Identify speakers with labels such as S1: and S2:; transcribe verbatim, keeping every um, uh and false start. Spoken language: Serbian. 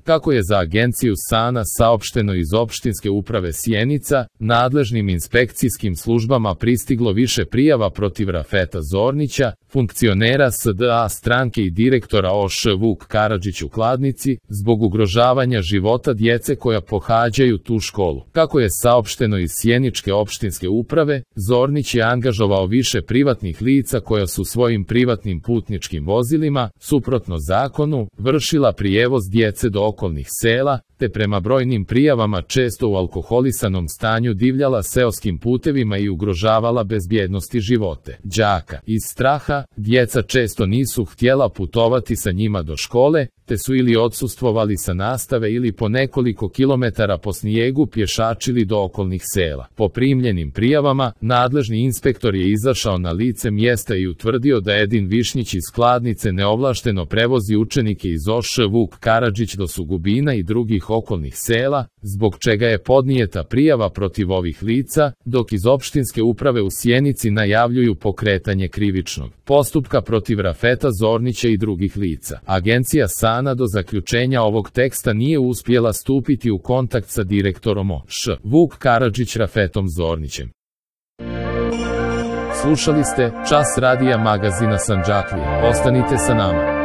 S1: Kako je za agenciju Sana saopšteno iz opštinske uprave Sjenica, nadležnim inspekcijskim službama pristiglo više prijava protiv Rafeta Zornića, funkcionera S D A stranke i direktora O Š Vuk Karadžić u Kladnici, zbog ugrožavanja života djece koja pohađaju tu školu. Kako je saopšteno iz Sjeničke opštinske uprave, Zornić je angažovao više privatnih lica koja su svojim privatnim putničkim vozilima, suprotno zakonu, vršila prijevoz djece do okolnih sela, te prema brojnim prijavama često u alkoholisanom stanju divljala seoskim putevima i ugrožavala bezbjednost i živote đaka. Iz straha, djeca često nisu htjela putovati sa njima do škole, te su ili odsustvovali sa nastave ili po nekoliko kilometara po snijegu pješačili do okolnih sela. Po primljenim prijavama, nadležni inspektor je izašao na lice mjesta i utvrdio da Edin Višnjić iz Kladnice neovlašteno prevozi učenike iz O Š Vuk Karadžić do Sugubina i drugih okolnih sela, zbog čega je podnijeta prijava protiv ovih lica, dok iz opštinske uprave u Sjenici najavljuju pokretanje krivičnog postupka protiv Rafeta Zornića i drugih lica. Agencija Sana do zaključenja ovog teksta nije uspjela stupiti u kontakt sa direktorom O Š Vuk Karadžić Rafetom Zornićem. Slušali ste Čas radija magazina Sandžaklija. Ostanite sa nama.